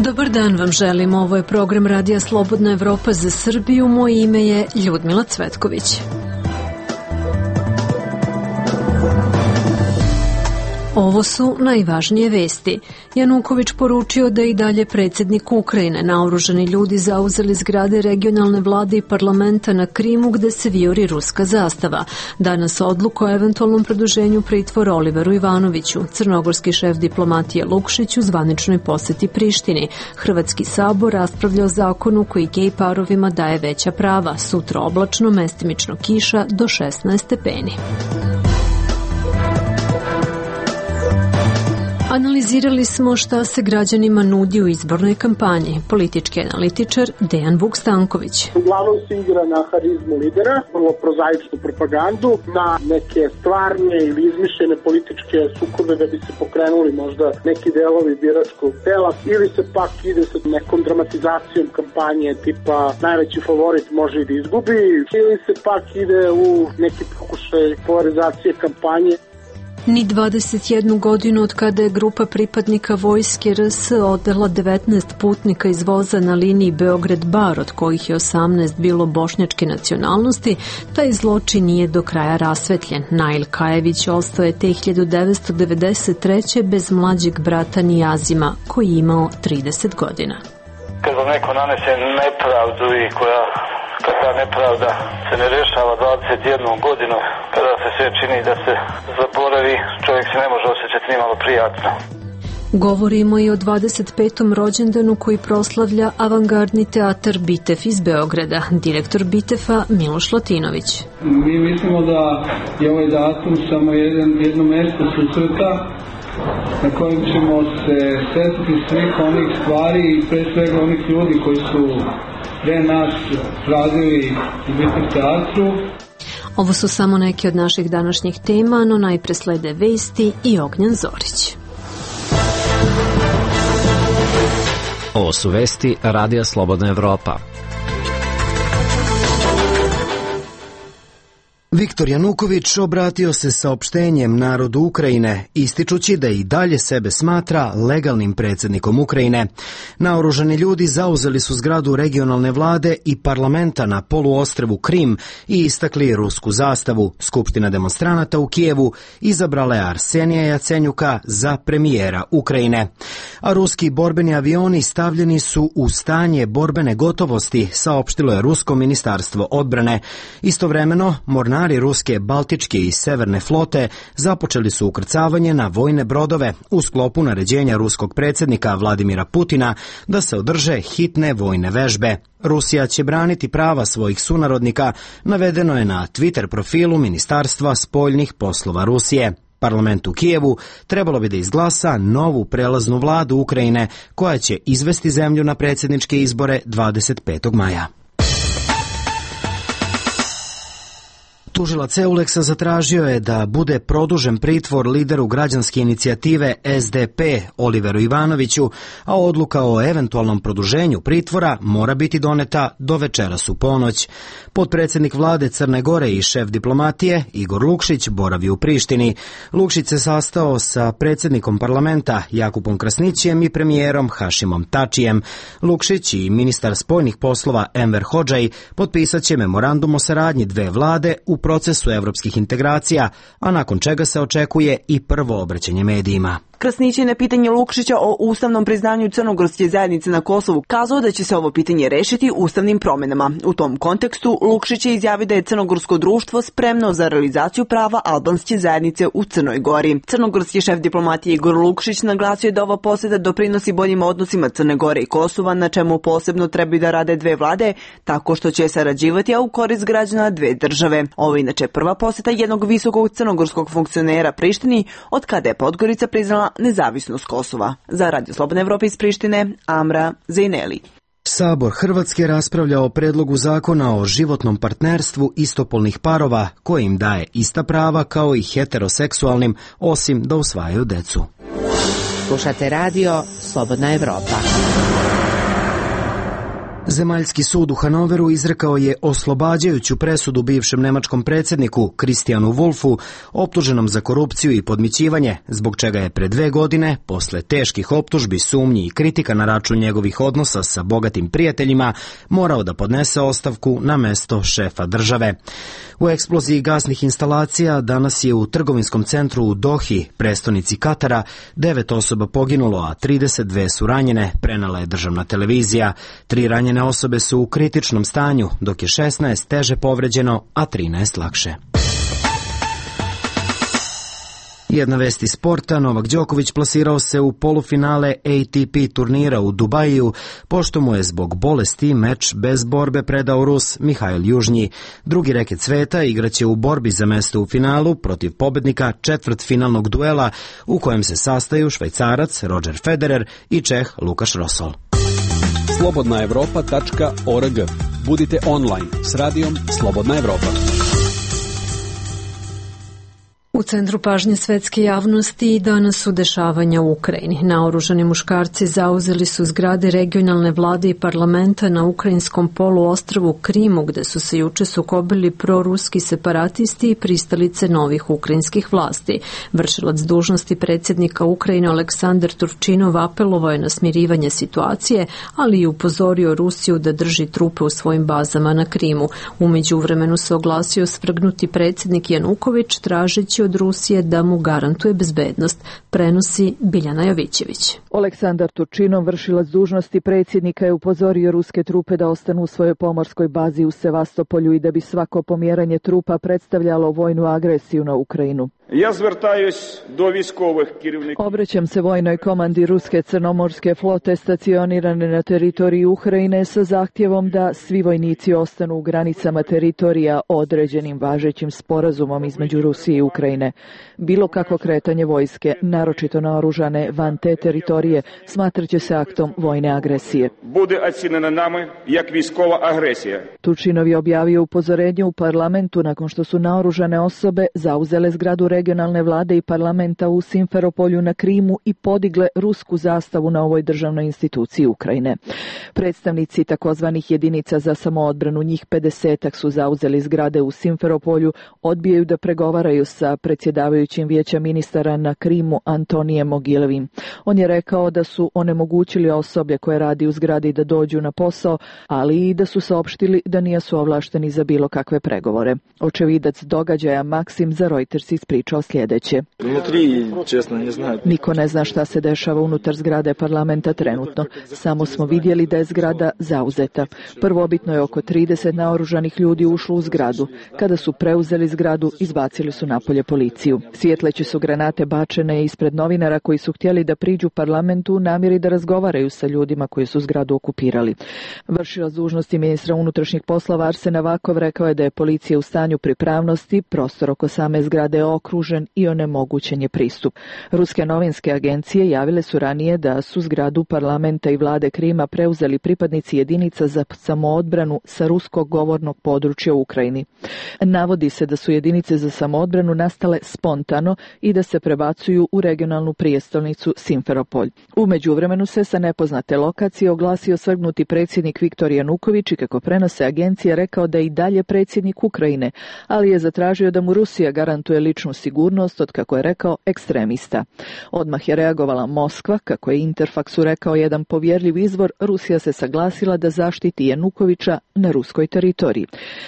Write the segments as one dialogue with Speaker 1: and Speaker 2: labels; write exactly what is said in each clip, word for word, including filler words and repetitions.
Speaker 1: Dobar dan vam želim, ovo je program Radija Slobodna Evropa za Srbiju, moje ime je Ljudmila Cvetković. Ovo su najvažnije vesti. Januković poručio da i dalje predsjednik Ukrajine. Naoružani ljudi zauzeli zgrade regionalne vlade i parlamenta na Krimu gde se vijori ruska zastava. Danas odluku o eventualnom produženju pritvora Oliveru Ivanoviću. Crnogorski šef diplomatije Lukšić u zvaničnoj poseti Prištini. Hrvatski sabor raspravlja o zakonu koji gej parovima daje veća prava. Sutra oblačno, mestimično kiša do šesnaest stepeni. Analizirali smo šta se građanima nudi u izbornoj kampanji. Politički analitičar Dejan Vuk-Stanković.
Speaker 2: Uglavnom se igra na harizmu lidera, vrlo prozaičnu propagandu, na neke stvarne ili izmišljene političke sukobe da bi se pokrenuli možda neki delovi biračkog tela, ili se pak ide sa nekom dramatizacijom kampanje tipa najveći favorit može i da izgubi, ili se pak ide u neki pokušaj polarizacije kampanje.
Speaker 1: Ni dvadeset jednu godinu od kada je grupa pripadnika vojske R S odvela devetnaest putnika iz voza na liniji Beograd-Bar, od kojih je osamnaest bilo bošnjačke nacionalnosti, taj zločin nije do kraja rasvetljen. Nail Kajević ostao je te hiljadu devetsto devedeset treće bez mlađeg brata Nijazima, koji je imao trideset godina.
Speaker 3: Kad vam neko nanese nepravdu i koja kad ta nepravda se ne rješava dvadeset jednu godinu, kada se sve čini da se zaboravi, čovjek se ne može osjećati nimalo prijatno.
Speaker 1: Govorimo i o dvadeset petom rođendanu koji proslavlja avangardni teatar Bitev iz Beograda. Direktor Bitefa Miloš Latinović.
Speaker 4: Mi mislimo da je ovaj datum samo jedan, jedno mesto susreta na kojem ćemo se setiti svih onih stvari i pre svega onih ljudi koji su pre nas radili u Bitev teatru.
Speaker 1: Ovo su samo neke od naših današnjih tema, no najpre slede vesti i Ognjan Zorić.
Speaker 5: Ovo su vesti Radija Slobodna Evropa. Viktor Januković obratio se saopštenjem narodu Ukrajine, ističući da i dalje sebe smatra legalnim predsjednikom Ukrajine. Naoružani ljudi zauzeli su zgradu regionalne vlade i parlamenta na poluostrvu Krim i istakli rusku zastavu. Skupština demonstranata u Kijevu izabrala je Arsenija Jacenjuka za premijera Ukrajine. A ruski borbeni avioni stavljeni su u stanje borbene gotovosti, saopštilo je Rusko ministarstvo odbrane. Istovremeno, mornari ruske, baltičke i severne flote započeli su ukrcavanje na vojne brodove u sklopu naređenja ruskog predsjednika Vladimira Putina da se održe hitne vojne vežbe. Rusija će braniti prava svojih sunarodnika, navedeno je na Twitter profilu Ministarstva spoljnih poslova Rusije. Parlament u Kijevu trebalo bi da izglasa novu prelaznu vladu Ukrajine koja će izvesti zemlju na predsjedničke izbore dvadeset petog maja. Tužilac Euleksa zatražio je da bude produžen pritvor lideru građanske inicijative S D P Oliveru Ivanoviću, a odluka o eventualnom produženju pritvora mora biti doneta do večeras u ponoć. Potpredsjednik vlade Crne Gore i šef diplomatije Igor Lukšić boravi u Prištini. Lukšić se sastao sa predsjednikom parlamenta Jakupom Krasnićijem i premijerom Hašimom Tačijem. Lukšić i ministar spoljnih poslova Enver Hodžaj potpisat će memorandum o saradnji dve vlade u procesu evropskih integracija, a nakon čega se očekuje i prvo obraćanje medijima.
Speaker 6: Krasnić je na pitanje Lukšića o ustavnom priznanju crnogorske zajednice na Kosovu kazao da će se ovo pitanje rešiti ustavnim promjenama. U tom kontekstu Lukšić je izjavio da je crnogorsko društvo spremno za realizaciju prava albanske zajednice u Crnoj Gori. Crnogorski šef diplomatije Igor Lukšić naglasio je da ova posjeta doprinosi boljim odnosima Crne Gore i Kosova, na čemu posebno trebaju da rade dve vlade, tako što će sarađivati, a u korist građana dve države. Ovo je inače prva posjeta jednog visokog crnogorskog funkcionera Prištini od kada je Podgorica priznala nezavisnost Kosova. Za Radio Slobodna Evropa iz Prištine, Amra Zejneli.
Speaker 5: Sabor Hrvatske raspravlja o predlogu zakona o životnom partnerstvu istopolnih parova koji im daje ista prava kao i heteroseksualnim, osim da usvajaju decu.
Speaker 7: Slušate Radio Slobodna Evropa.
Speaker 5: Zemaljski sud u Hanoveru izrekao je oslobađajuću presudu bivšem nemačkom predsjedniku Christianu Wulfu, optuženom za korupciju i podmićivanje, zbog čega je pre dve godine, posle teških optužbi, sumnji i kritika na račun njegovih odnosa sa bogatim prijateljima, morao da podnese ostavku na mesto šefa države. U eksploziji gasnih instalacija danas je u trgovinskom centru u Dohi, prestonici Katara, devet osoba poginulo, a trideset dve su ranjene, prenela je državna televizija. Tri ranjene osobe su u kritičnom stanju, dok je šesnaest teže povređeno, a trinaest lakše. Jedna vest iz sporta, Novak Đoković plasirao se u polufinale A T P turnira u Dubaju, pošto mu je zbog bolesti meč bez borbe predao Rus Mihail Južnji. Drugi reket sveta igraće u borbi za mesto u finalu protiv pobednika četvrtfinalnog duela u kojem se sastaju Švajcarac Roger Federer i Čeh Lukaš Rosol.
Speaker 7: slobodna evropa tačka org. Budite online s radijom Slobodna Evropa.
Speaker 1: U centru pažnje svetske javnosti i danas su dešavanja u Ukrajini. Naoružani muškarci zauzeli su zgrade regionalne vlade i parlamenta na ukrajinskom poluostrvu Krimu, gde su se juče sukobili proruski separatisti i pristalice novih ukrajinskih vlasti. Vršilac dužnosti predsjednika Ukrajine Aleksandar Turčinov apelovao je na smirivanje situacije, ali i upozorio Rusiju da drži trupe u svojim bazama na Krimu. U međuvremenu se oglasio svrgnuti predsjednik Januković, tražeći od Rusije da mu garantuje bezbednost, prenosi Biljana Jovićević.
Speaker 8: Aleksandar Turčinov, vršilac dužnosti predsjednika, je upozorio ruske trupe da ostanu u svojoj pomorskoj bazi u Sevastopolju i da bi svako pomjeranje trupa predstavljalo vojnu agresiju na Ukrajinu.
Speaker 9: Ja звертаюсь до військових керівників.
Speaker 8: Obraćam se vojnoj komandi ruske crnomorske flote stacionirane na teritoriji Ukrajine sa zahtjevom da svi vojnici ostanu u granicama teritorija određenim važećim sporazumom između Rusije i Ukrajine. Bilo kako kretanje vojske, naročito naoružane van te teritorije, smatraće se aktom vojne agresije.
Speaker 9: Bude ocenjena nami jak vojskova agresija.
Speaker 8: Turčinov je objavio upozorenje u parlamentu nakon što su naoružane osobe zauzele zgradu regionalne vlade i parlamenta u Simferopolju na Krimu i podigle rusku zastavu na ovoj državnoj instituciji Ukrajine. Predstavnici takozvanih jedinica za samoodbranu, njih pedesetak, su zauzeli zgrade u Simferopolju, odbijaju da pregovaraju sa predsjedavajućim vijeća ministara na Krimu Antonijem Mogilevim. On je rekao da su onemogućili osoblje koje radi u zgradi da dođu na posao, ali i da su saopštili da nisu ovlašteni za bilo kakve pregovore. Očevidac događaja Maksim za Reuters ispričao sljedeće. Niko ne zna šta se dešava unutar zgrade parlamenta trenutno. Samo smo vidjeli da je zgrada zauzeta. Prvobitno je oko trideset naoružanih ljudi ušlo u zgradu. Kada su preuzeli zgradu, izbacili su napolje policiju. Svjetleće su granate bačene ispred novinara koji su htjeli da priđu parlamentu u namjeri da razgovaraju sa ljudima koji su zgradu okupirali. Vršilac dužnosti ministra unutrašnjih poslova Arsen Avakov rekao je da je policija u stanju pripravnosti, prostor oko same zgrade je okružen i onemogućen je pristup. Ruske novinske agencije javile su ranije da su zgradu parlamenta i vlade Krima preuzeli pripadnici jedinica za samoodbranu sa ruskog govornog područja u Ukrajini. Navodi se da su jedinice za samoodbranu nastale spontano i da se prebacuju u regionalnu prijestolnicu Simferopolj. U međuvremenu se sa nepoznate lokacije oglasio svrgnuti predsjednik Viktor Januković i, kako prenose agencije, rekao da je i dalje predsjednik Ukrajine, ali je zatražio da mu Rusija garantuje ličnu sigurnost od, kako je rekao, ekstremista. Odmah je reagovala Moskva, kako je Interfaksu rekao jedan povjerljiv izvor. Rusija se saglasila da zaštiti Janukovića na ruskoj teritoriji.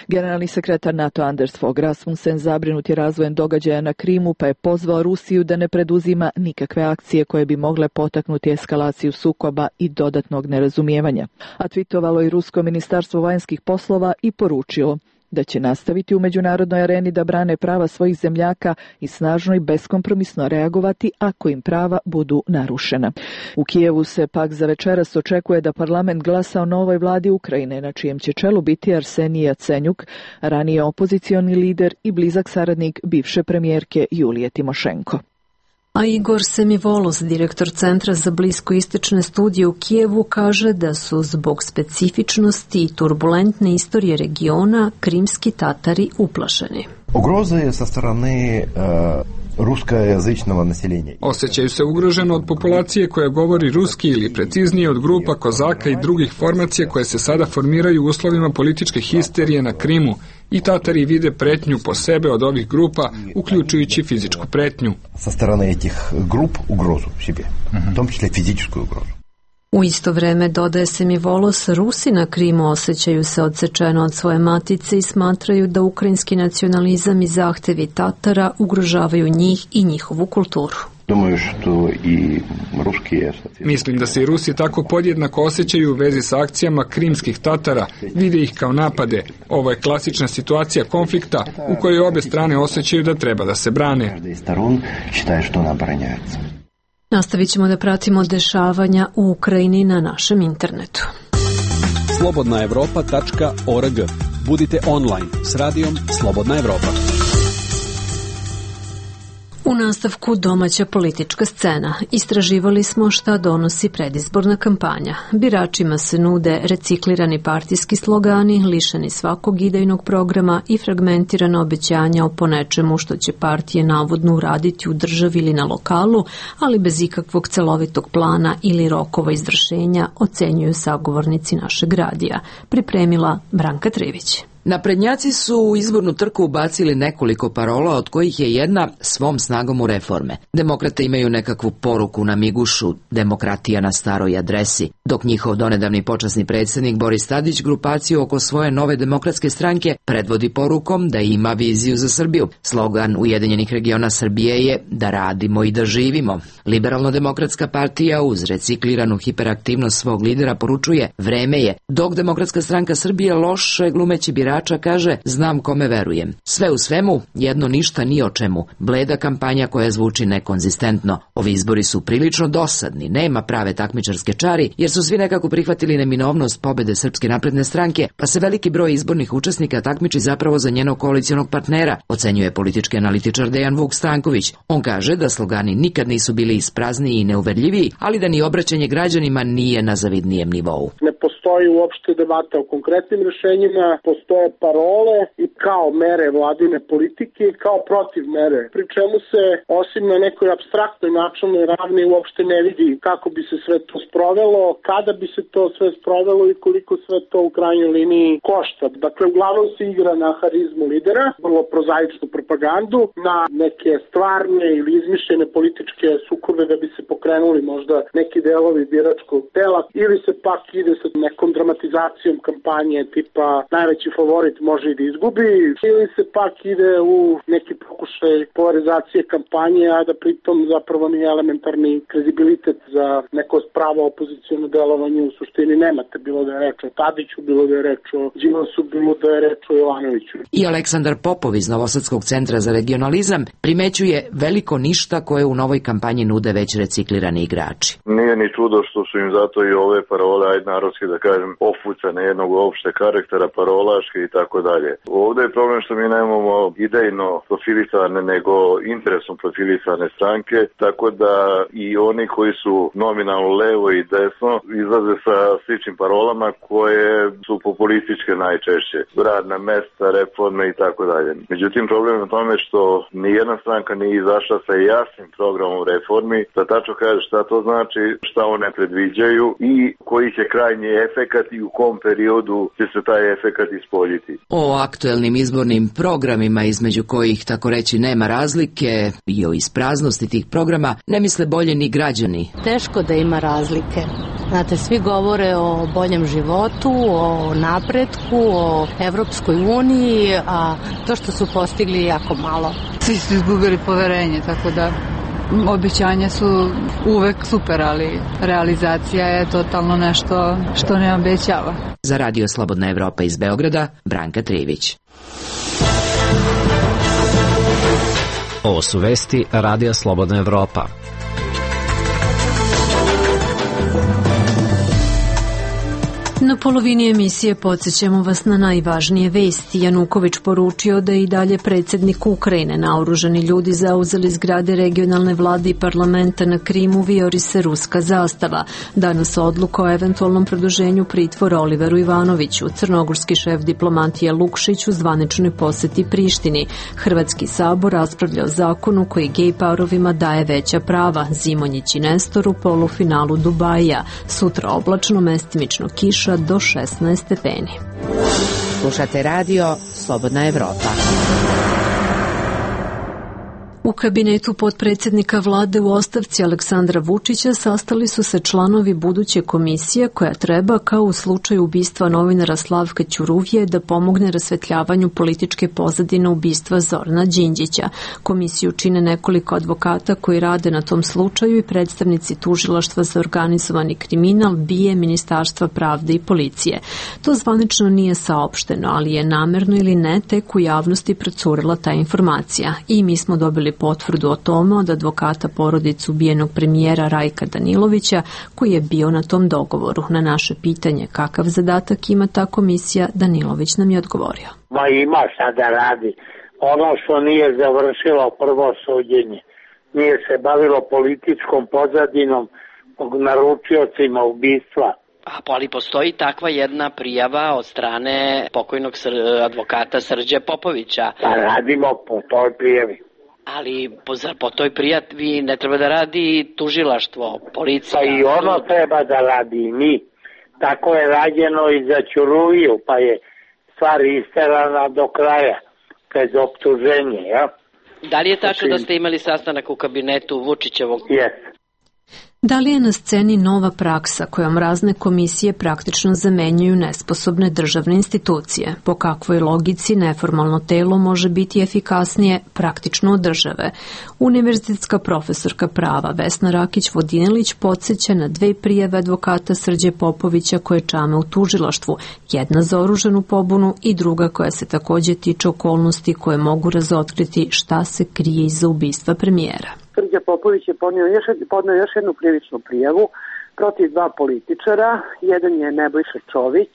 Speaker 8: Generalni sekretar NATO Anders Fogh Rasmussen zabrinut je razvojem događaja na Krimu, pa je pozvao Rusiju da ne preduzima nikakve akcije koje bi mogle potaknuti eskalaciju sukoba i dodatnog nerazumijevanja. A twitovalo i rusko ministarstvo vanjskih poslova i poručilo da će nastaviti u međunarodnoj areni da brane prava svojih zemljaka i snažno i beskompromisno reagovati ako im prava budu narušena. U Kijevu se pak za večeras očekuje da parlament glasa o novoj vladi Ukrajine, na čijem će čelu biti Arsenij Jacenjuk, ranije opozicioni lider i blizak saradnik bivše premijerke Julije Timošenko.
Speaker 1: A Igor Semivolos, direktor Centra za bliskoistočne studije u Kijevu, kaže da su zbog specifičnosti i turbulentne istorije regiona krimski Tatari uplašeni.
Speaker 10: Ugroza je sa strane uh, ruskojazičnog naseljenja.
Speaker 11: Osjećaju se ugroženo od populacije koja govori ruski ili preciznije od grupa kozaka i drugih formacija koje se sada formiraju u uslovima političke histerije na Krimu i Tatari vide pretnju po sebe od ovih grupa, uključujući fizičku pretnju.
Speaker 10: Sa strane tih grup ugrozu sebe, u tom čile fizičku ugrozu.
Speaker 1: U isto vreme, dodaje se mi Volos, Rusi na Krimu osjećaju se odsečeno od svoje matice i smatraju da ukrajinski nacionalizam i zahtevi Tatara ugrožavaju njih i njihovu kulturu.
Speaker 11: Mislim da se i Rusi tako podjednako osjećaju u vezi sa akcijama krimskih Tatara, vide ih kao napade. Ovo je klasična situacija konflikta u kojoj obe strane osjećaju da treba da se brane.
Speaker 1: Nastavit ćemo da pratimo dešavanja u Ukrajini na našem internetu.
Speaker 7: slobodna evropa tačka org. Budite online s radijom Slobodna Evropa.
Speaker 1: U nastavku domaća politička scena. Istraživali smo šta donosi predizborna kampanja. Biračima se nude reciklirani partijski slogani, lišeni svakog idejnog programa i fragmentirana obećanja o ponečemu što će partije navodno uraditi u državi ili na lokalu, ali bez ikakvog celovitog plana ili rokova izvršenja, ocenjuju sagovornici našeg radija. Pripremila Branka Trivić.
Speaker 12: Naprednjaci su u izbornu trku ubacili nekoliko parola, od kojih je jedna svom snagom u reforme. Demokrate imaju nekakvu poruku na migušu, demokratija na staroj adresi, dok njihov donedavni počasni predsjednik Boris Tadić grupaciju oko svoje nove demokratske stranke predvodi porukom da ima viziju za Srbiju. Slogan Ujedinjenih regiona Srbije je da radimo i da živimo. Liberalno-demokratska partija uz recikliranu hiperaktivnost svog lidera poručuje vreme je, dok Demokratska stranka Srbije loše glumeći birača kaže znam kome verujem. Sve u svemu, jedno ništa ni o čemu. Bleda kampanja koja zvuči nekonzistentno. Ovi izbori su prilično dosadni, nema prave takmičarske čari, jer su svi nekako prihvatili neminovnost pobede Srpske napredne stranke, pa se veliki broj izbornih učesnika takmiči zapravo za njenog koalicionog partnera, ocenjuje politički analitičar Dejan Vuk Stanković. On kaže da slogani nikad nisu bili isprazniji i neuverljiviji, ali da ni obraćanje građanima nije na zavidnijem nivou.
Speaker 2: Ne postoji uopšte debata o konkretnim rešenjima, postoje parole i kao mere vladine politike i kao protiv mere, pri čemu se osim na nekoj apstraktnoj načelnoj ravni uopšte ne vidi kako bi se sve to sprovelo, kada bi se to sve sprovelo i koliko sve to u krajnjoj liniji košta. Dakle, uglavnom se igra na harizmu lidera, vrlo prozaičnu propagandu, na neke stvarne ili izmišljene političke sukobe da bi se pokrenuli možda neki delovi biračkog tela, ili se pak ide sa nekom dramatizacijom kampanje tipa najveći favorit može i da izgubi, ili se pak ide u neki pokušaj polarizacije kampanje, a da pritom zapravo ni elementarni kredibilitet za neko pravo opoziciono delovanje u suštini nemate, bilo da je reč o Tadiću, bilo da je reč o Đilasu, bilo da je reč o Jovanoviću.
Speaker 12: I Aleksandar Popov iz Novosadskog centra za regionalizam primećuje veliko ništa koje u novoj kampanji nude već reciklirani igrači.
Speaker 13: Nije ni čudo što su im zato i ove parole, ajde narodski da kažem, ofucane jednog opšte karaktera, parolaške i tako dalje. Ovdje je problem što mi nemamo idejno profilisane, nego interesom profilisane stranke, tako da i oni koji su nominalno levo i desno izlaze sa sličnim parolama koje su populističke najčešće. Radna mesta, reforme i tako dalje. Međutim, problem je u tome što nijedna stranka nije izašla sa jasnim programom reformi, da tačno kaže šta to znači, šta one predviđaju i koji će krajnji efekat i u kom periodu će se taj efekat ispoljiti.
Speaker 12: O aktuelnim izbornim programima, između kojih tako reći nema razlike, i o ispraznosti tih programa ne misle bolje ni građani.
Speaker 14: Teško da ima razlike. Znate, svi govore o boljem životu, o napretku, o Evropskoj uniji, a to što su postigli jako malo.
Speaker 15: Svi su izgubili poverenje, tako da obećanja su uvek super, ali realizacija je totalno nešto što ne obećava.
Speaker 12: Za Radio Slobodna Evropa iz Beograda, Branka Trivić.
Speaker 16: Ovo su vesti Radija Slobodna Evropa.
Speaker 1: Na polovini emisije podsjećamo vas na najvažnije vesti. Januković poručio da i dalje predsjednik Ukrajine. Naoružani ljudi zauzeli zgrade regionalne vlade i parlamenta na Krimu, vijori se ruska zastava. Danas odluka o eventualnom produženju pritvora Oliveru Ivanoviću. Crnogorski šef diplomatije Lukšić u zvaničnoj poseti Prištini. Hrvatski sabor raspravlja o zakonu koji gej parovima daje veća prava. Zimonjić i Nestor u polufinalu Dubaija. Sutra oblačno, mestimično kiša do šesnaest stepeni.
Speaker 12: Slušate radio Slobodna Evropa.
Speaker 1: U kabinetu potpredsjednika vlade u ostavci Aleksandra Vučića sastali su se članovi buduće komisije koja treba, kao u slučaju ubistva novinara Slavka Ćuruvije, da pomogne rasvetljavanju političke pozadine ubistva Zorana Đinđića. Komisiju čine nekoliko advokata koji rade na tom slučaju i predstavnici tužilaštva za organizovani kriminal, B I E, Ministarstva pravde i policije. To zvanično nije saopšteno, ali je namerno ili ne tek u javnosti procurila ta informacija. I mi smo dobili potvrdu o tome od advokata porodice ubijenog premijera Rajka Danilovića, koji je bio na tom dogovoru. Na naše pitanje kakav zadatak ima ta komisija, Danilović nam je odgovorio.
Speaker 17: Ma ima šta da radi. Ono što nije završilo prvo suđenje, nije se bavilo političkom pozadinom, naručiocima ubistva.
Speaker 18: A ali postoji takva jedna prijava od strane pokojnog sr- advokata Srđe Popovića.
Speaker 17: Pa radimo po toj prijavi.
Speaker 18: Ali po, po toj prijavi ne treba da radi tužilaštvo, policija.
Speaker 17: Pa i ono treba da radi i mi. Tako je rađeno i za Ćuruviju, pa je stvar isterana do kraja, bez optuženja, ja?
Speaker 18: Da li je tačno da ste imali sastanak u kabinetu Vučićevog?
Speaker 17: Jes.
Speaker 1: Da li je na sceni nova praksa kojom razne komisije praktično zamenjuju nesposobne državne institucije? Po kakvoj logici neformalno telo može biti efikasnije praktično od države? Univerzitetska profesorka prava Vesna Rakić-Vodinelić podsjeća na dve prijave advokata Srđe Popovića koje čame u tužilaštvu, jedna za oružanu pobunu i druga koja se također tiče okolnosti koje mogu razotkriti šta se krije iza ubistva premijera.
Speaker 2: Srđa Popović je podnio još, podnio još jednu krivičnu prijavu protiv dva političara. Jedan je Nebojša Čović,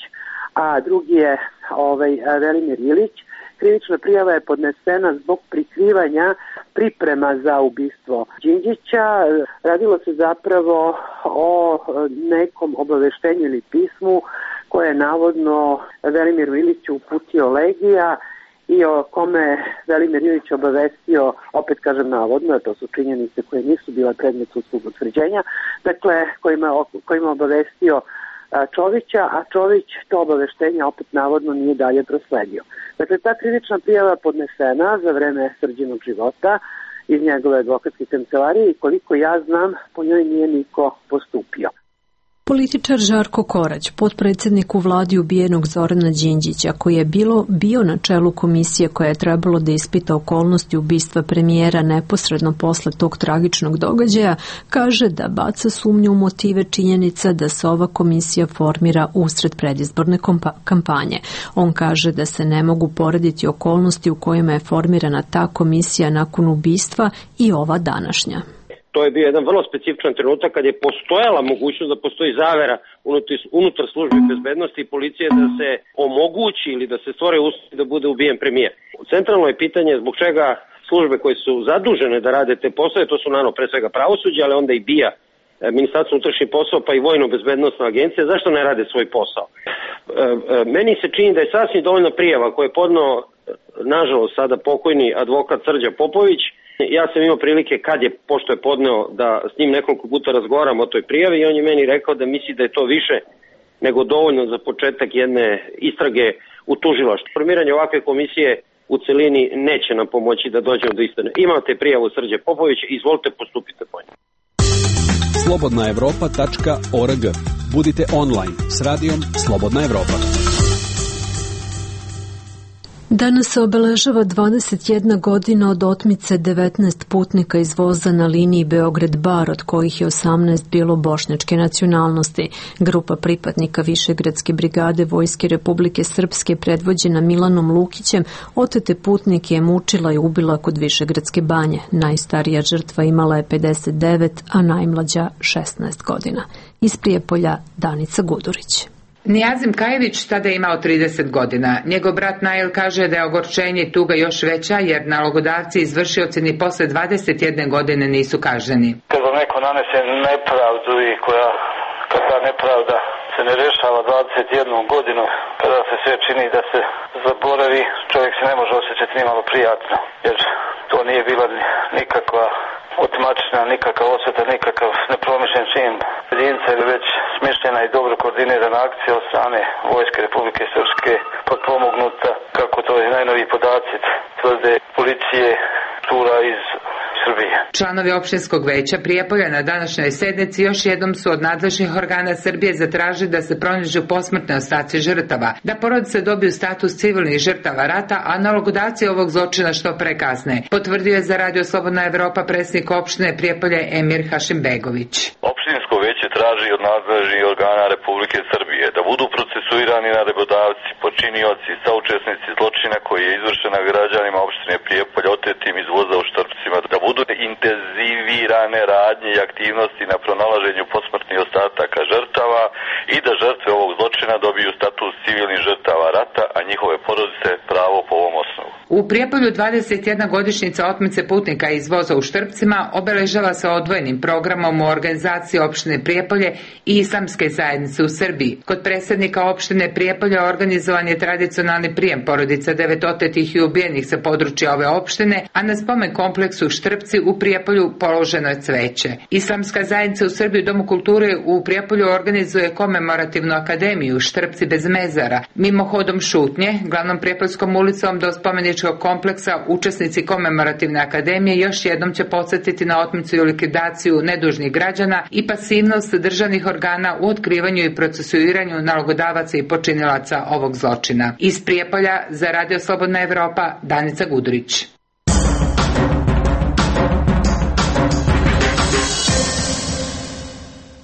Speaker 2: a drugi je ovaj, Velimir Ilić. Krivična prijava je podnesena zbog prikrivanja priprema za ubistvo Đinđića. Radilo se zapravo o nekom obaveštenju ili pismu koje je navodno Velimiru Iliću uputio Legija i o kome Velimir Ilić obavestio, opet kažem navodno, to su činjenice koje nisu bile predmet sudskog utvrđenja, dakle kojima, kojima obavestio Čovića, a Čović to obaveštenje opet navodno nije dalje prosledio. Dakle, ta krivična prijava podnesena za vreme Srđinog života iz njegove advokatske kancelarije i koliko ja znam, po njoj nije niko postupio.
Speaker 1: Političar Žarko Korać, potpredsjednik u vladi ubijenog Zorana Đinđića, koji je bilo bio na čelu komisije koja je trebalo da ispita okolnosti ubistva premijera neposredno posle tog tragičnog događaja, kaže da baca sumnju u motive činjenica da se ova komisija formira usred predizborne kampanje. On kaže da se ne mogu porediti okolnosti u kojima je formirana ta komisija nakon ubistva i ova današnja.
Speaker 19: To je bio jedan vrlo specifičan trenutak kad je postojala mogućnost da postoji zavera unutar službe bezbednosti i policije da se omogući ili da se stvore uslovi da bude ubijen premijer. Centralno je pitanje zbog čega službe koje su zadužene da rade te poslove, to su naravno pre svega pravosuđe, ali onda i B I A, Ministarstvo unutrašnjih poslova pa i Vojno-bezbednosna agencija, zašto ne rade svoj posao? Meni se čini da je sasvim dovoljna prijava koju je podneo, nažalost, sada pokojni advokat Srđa Popović. Ja sam imao prilike kad je, pošto je podneo, da s njim nekoliko puta razgovaram o toj prijavi i on je meni rekao da misli da je to više nego dovoljno za početak jedne istrage u tužilaštvu. Formiranje ovakve komisije u celini neće nam pomoći da dođemo do istine. Imate prijavu Srđe Popovića, izvolite, postupite po njoj.
Speaker 7: slobodna evropa tačka org. Budite online s radijom Slobodna Evropa.
Speaker 1: Danas se obeležava dvadeset jedna godina od otmice devetnaest putnika iz voza na liniji Beograd-Bar, od kojih je osamnaest bilo bošnjačke nacionalnosti. Grupa pripadnika Višegradske brigade Vojske Republike Srpske predvođena Milanom Lukićem otete putnike je mučila i ubila kod Višegradske banje. Najstarija žrtva imala je pedeset devet, a najmlađa šesnaest godina. Iz Prijepolja Danica Gudurić.
Speaker 20: Nijazim Kajević tada je imao trideset godina. Njegov brat Nail kaže da je ogorčenje i tuga još veća jer nalogodavci i izvršioci ni posle dvadeset jedne godine nisu kažnjeni.
Speaker 3: Kad vam neko nanese nepravdu i koja, kad ta nepravda se ne rešava dvadeset jednu godinu, kada se sve čini da se zaboravi, čovjek se ne može osjećati ni malo prijatno, jer to nije bila nikakva otimačina, nikakav osveta, nikakav nepromišljen čin jedinca ili već smišljena i dobro koordinirana akcija od strane Vojske Republike Srpske, potpomognuta, kako to je najnoviji podaci tvrde policije, tura iz Srbije.
Speaker 20: Članovi opštinskog veća Prijepolja na današnjoj sednici još jednom su od nadležnih organa Srbije zatražili da se pronađu posmrtne ostaci žrtava, da porodice dobiju status civilnih žrtava rata, a nalogodavci ovog zločina što pre kasne. Potvrdio je za Radio Slobodna Evropa predsjednik opštine Prijepolje Emir Hašimbegović.
Speaker 21: Opštinsko veće traži od nadležnih organa Republike Srbije da budu procesuirani nalogodavci, počinioci, saučesnici zločina koji je izvršena građanima opštine Prijepolje otetim iz voza u Štrpcima, da budu intenzivirane radnje i aktivnosti na pronalaženju posmrtnih ostataka žrtava i da žrtve ovog zločina dobiju status civilnih žrtava rata, a njihove porodice pravo po ovom osnovu.
Speaker 20: U Prijepolju dvadeset jedna godišnjica otmice putnika iz voza u Štrpcima obeležava se odvojenim programom u organizaciji opštine Prijepolje i islamske zajednice u Srbiji. Kod predsjednika opštine Prijepolja organizovan je tradicionalni prijem porodica devet otetih i ubijenih sa područja ove opštine, a na spomen kompleksu Štrpci u Prijepolju položeno je cveće. Islamska zajednica u Srbiji u Domu kulture u Prijepolju organizuje komemorativnu akademiju Štrpci bez mezara. Mimohodom šutnje, glavnom Prijepoljskom ulicom do spomeničkog kompleksa, učesnici komemorativne akademije još jednom će podsjetiti na otmicu i likvidaciju nedužnih građana i pasivnost državnih organa u otkrivanju i procesuiranju nalogodavaca i počinilaca ovog zločina. Iz Prijepolja za Radio Slobodna Evropa, Danica Gudurić.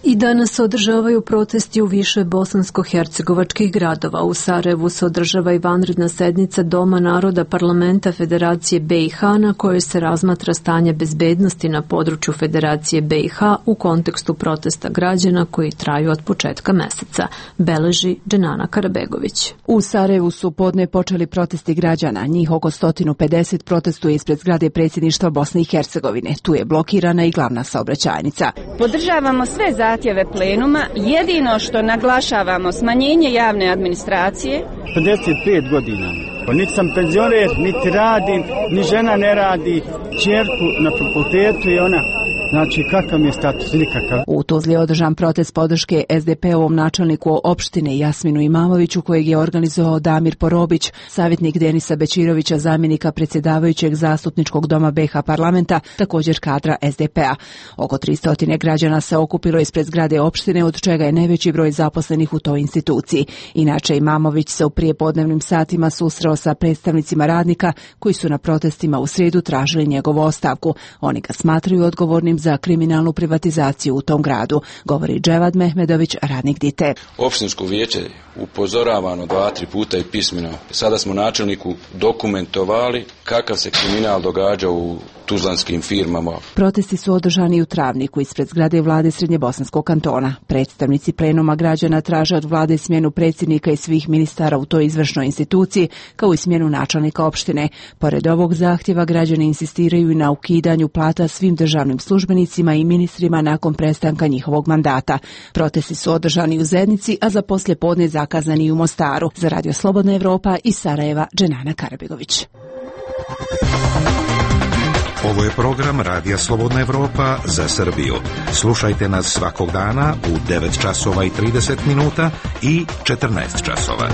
Speaker 1: I danas se održavaju protesti u više bosansko-hercegovačkih gradova. U Sarajevu se održava i vanredna sednica Doma naroda Parlamenta Federacije B i H na kojoj se razmatra stanje bezbednosti na području Federacije B i H u kontekstu protesta građana koji traju od početka meseca, beleži Dženana Karabegović.
Speaker 22: U Sarajevu su podne počeli protesti građana. Njih oko sto pedeset protestuje ispred zgrade predsjedništva Bosne i Hercegovine. Tu je blokirana i glavna saobraćajnica.
Speaker 23: Podržavamo sve zahtjeve plenuma, jedino što naglašavamo smanjenje javne administracije.
Speaker 24: pedeset pet godina, pa niti sam penzioner, niti radim, ni žena ne radi, čerku na fakultetu i ona, znači kakav mi je status, nikakav.
Speaker 22: U Tuzli je održan protest podrške S D P-ovom načelniku opštine Jasminu Imamoviću kojeg je organizovao Damir Porobić, savjetnik Denisa Bečirovića, zamjenika predsjedavajućeg zastupničkog doma B H parlamenta, također kadra S D P-a. Oko tristo građana se okupilo ispred zgrade opštine, od čega je najveći broj zaposlenih u toj instituciji. Inače, Imamović se u prijepodnevnim satima susreo sa predstavnicima radnika koji su na protestima u srijedu tražili njegovu ostavku. Oni ga smatraju odgovornim za kriminalnu privatizaciju u tom gradu, govori Dževad Mehmedović, radnik D I T E.
Speaker 25: Opštinsko vijeće upozoravano dva, tri puta i pismeno. Sada smo načelniku dokumentovali kakav se kriminal događa u tuzlanskim firmama.
Speaker 22: Protesti su održani u Travniku ispred zgrade vlade Srednjebosanskog kantona. Predstavnici plenuma građana traže od vlade smjenu predsjednika i svih ministara u toj izvršnoj instituciji, kao i smjenu načelnika opštine. Pored ovog zahtjeva građani insistiraju i na ukidanju plata svim državnim službenicima i ministrima nakon prestanka njihovog mandata. Protesti su održani u Zenici, a za poslijepodne zakazani u Mostaru. Za Radio Slobodna Evropa iz Sarajeva, Dženana Karabegović.
Speaker 26: Ovo je program Radija Slobodna Evropa za Srbiju. Slušajte nas svakog dana u devet časova i trideset minuta i četrnaest časova.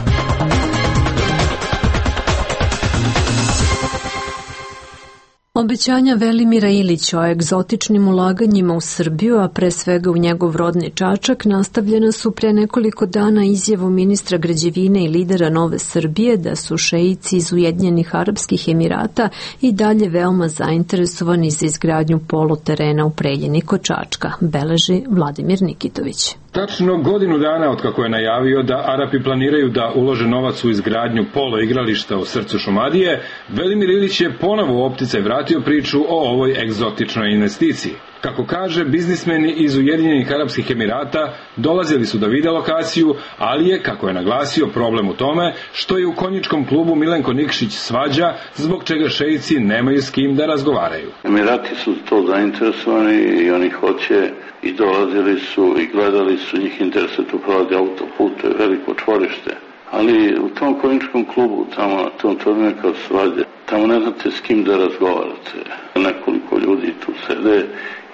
Speaker 1: Obećanja Velimira Ilića o egzotičnim ulaganjima u Srbiju, a pre svega u njegov rodni Čačak, nastavljena su pre nekoliko dana izjavom ministra građevine i lidera Nove Srbije da su šeici iz Ujedinjenih Arapskih Emirata i dalje veoma zainteresovani za izgradnju poluterena u Preljini kod Čačka, beleži Vladimir Nikitović.
Speaker 27: Tačno godinu dana od kako je najavio da Arapi planiraju da ulože novac u izgradnju polo igrališta u srcu Šumadije, Velimir Ilić je ponovo u opticaj vratio priču o ovoj egzotičnoj investiciji. Kako kaže, biznismeni iz Ujedinjenih Arapskih Emirata dolazili su da vide lokaciju, ali je, kako je naglasio, problem u tome što je u konjičkom klubu Milenko Nikšić svađa, zbog čega šeici nemaju s kim da razgovaraju.
Speaker 4: Emirati su to zainteresovani i oni hoće i dolazili su i gledali su, njih interesuje tu prolazi autoput, to je veliko čvorište. Ali u tom konjičkom klubu, tamo, tom to je neka svađa, tamo ne znate s kim da razgovarate. Nekoliko ljudi tu sede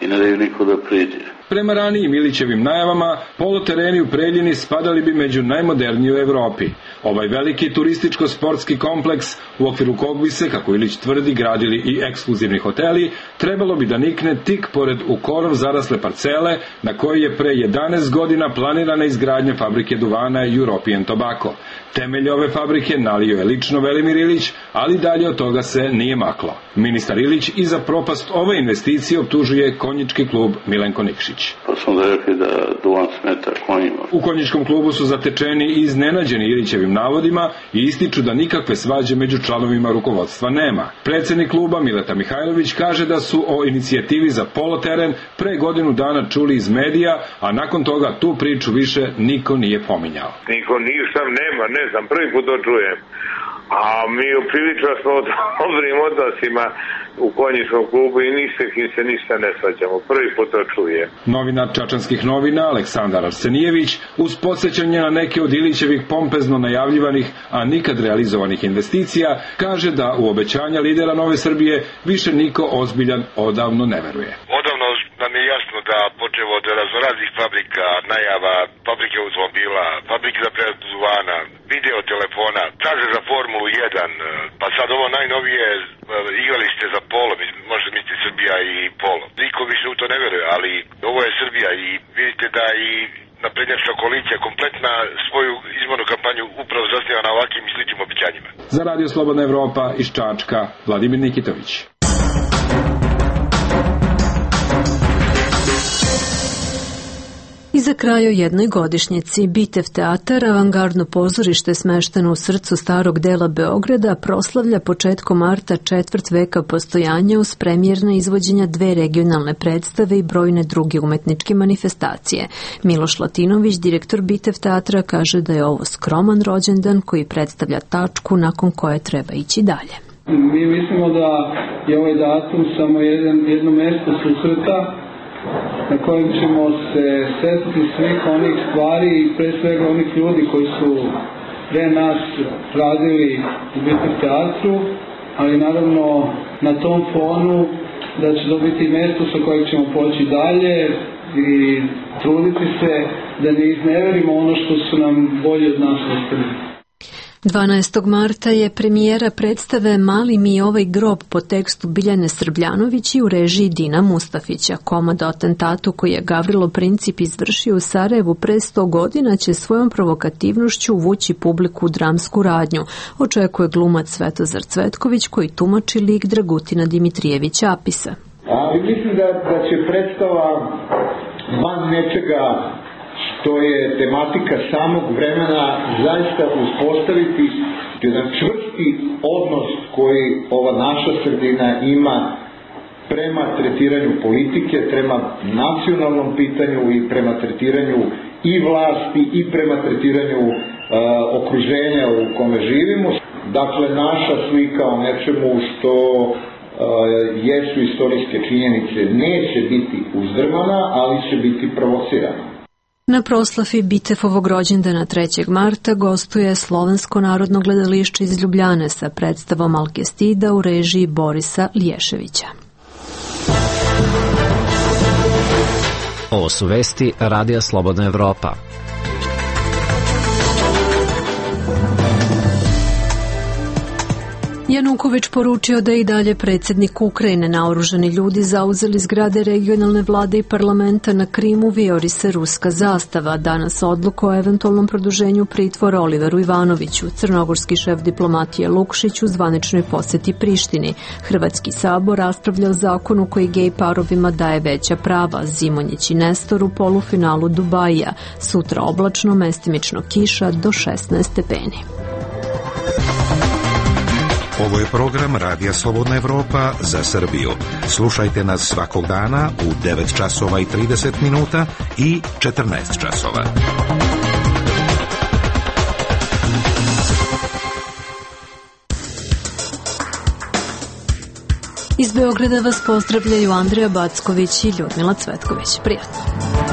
Speaker 4: i ne daju niko da priđe.
Speaker 27: Prema ranijim Ilićevim najavama, polutereni u Preljini spadali bi među najmoderniji u Evropi. Ovaj veliki turističko-sportski kompleks, u okviru kog bi se, kako Ilić tvrdi, gradili i ekskluzivni hoteli, trebalo bi da nikne tik pored u korov zarasle parcele na kojoj je pre jedanaest godina planirana izgradnja fabrike duvana European Tobacco. Temelj ove fabrike nalio je lično Velimir Ilić, ali dalje od toga se nije maklo. Ministar Ilić i za propast ove investicije optužuje konjički klub Milenko Nikšić.
Speaker 4: Pa smo da rekli da duvan smeta konjima.
Speaker 27: U konjičkom klubu su zatečeni i iznenađeni Ilićevim navodima i ističu da nikakve svađe među članovima rukovodstva nema. Predsednik kluba Mileta Mihajlović kaže da su o inicijativi za poloteren pre godinu dana čuli iz medija, a nakon toga tu priču više niko nije pominjao.
Speaker 5: Niko ništa nema, ne znam, prvi put to čujem. A mi uprilično smo o dobrim odnosima u konjičkom klubu i ništa kim se ništa ne svađamo. Prvi put to čuje.
Speaker 27: Novinar Čačanskih novina Aleksandar Arsenijević, uz podsjećanje na neke od Ilićevih pompezno najavljivanih, a nikad realizovanih investicija, kaže da u obećanja lidera Nove Srbije više niko ozbiljan odavno ne veruje.
Speaker 6: Odavno nam je jasno da počevo od raznoraznih fabrika, najava, fabrike automobila, fabrike za preradu duvana, video telefona, traže za Formulu jedan, pa sad ovo najnovije igralište za polo, možda misli Srbija i polo. Niko više u to ne veruje, ali ovo je Srbija i vidite da i naprednjačka koalicija kompletna svoju izbornu kampanju upravo zasniva na ovakvim i sličnim obećanjima.
Speaker 27: Za Radio Slobodna Evropa iz Čačka, Vladimir Nikitović.
Speaker 1: I za kraj o jednoj godišnjici Bitev teatar, avangardno pozorište smešteno u srcu starog dela Beograda, proslavlja početkom marta četvrt veka postojanja uz premijerna izvođenja dve regionalne predstave i brojne druge umetničke manifestacije. Miloš Latinović, direktor Bitev teatra, kaže da je ovo skroman rođendan koji predstavlja tačku nakon koje treba ići dalje.
Speaker 8: Mi mislimo da je ovaj datum samo jedan, jedno mesto susreta na kojem ćemo se setiti svih onih stvari i pre svega onih ljudi koji su pre nas radili u Bitev teatru, ali naravno na tom fonu da će to biti mesto sa kojeg ćemo poći dalje i truditi se da ne izneverimo ono što su nam bolje od nas ostavili.
Speaker 1: dvanaestog marta je premijera predstave Mali mi ovaj grob po tekstu Biljane Srbljanović i u režiji Dina Mustafića. Komad o atentatu koji je Gavrilo Princip izvršio u Sarajevu pre sto godina će svojom provokativnošću uvući publiku u dramsku radnju, očekuje glumac Svetozar Cvetković koji tumači lik Dragutina Dimitrijevića Apisa.
Speaker 9: Ali mislim da, da će predstava van nečega što je tematika samog vremena zaista uspostaviti jedan čvrsti odnos koji ova naša sredina ima prema tretiranju politike, prema nacionalnom pitanju i prema tretiranju i vlasti i prema tretiranju uh, okruženja u kome živimo. Dakle, naša slika o nečemu što uh, jesu istorijske činjenice neće biti uzdrmana, ali će biti provocirana.
Speaker 1: Na proslavi Bitefovog rođendana trećeg marta gostuje Slovensko narodno gledalište iz Ljubljane sa predstavom Alkestida u režiji Borisa Lješevića.
Speaker 16: Ovo su vesti Radija Slobodna Evropa.
Speaker 1: Januković poručio da je i dalje predsjednik Ukrajine. Naoružani ljudi zauzeli zgrade regionalne vlade i parlamenta na Krimu, vijori se ruska zastava. Danas odluku o eventualnom produženju pritvora Oliveru Ivanoviću. Crnogorski šef diplomatije Lukšić u zvaničnoj posjeti Prištini. Hrvatski sabor raspravlja o zakonu koji gej parovima daje veća prava. Zimonjić i Nestor u polufinalu Dubaija. Sutra oblačno, mestimično kiša do šesnaest stepeni.
Speaker 26: Ovo je program Radija Slobodna Evropa za Srbiju. Slušajte nas svakog dana u devet časova i trideset minuta i četrnaest časova.
Speaker 1: Iz Beograda vas pozdravljaju Andrija Backović i Ljudmila Cvetković. Prijatno.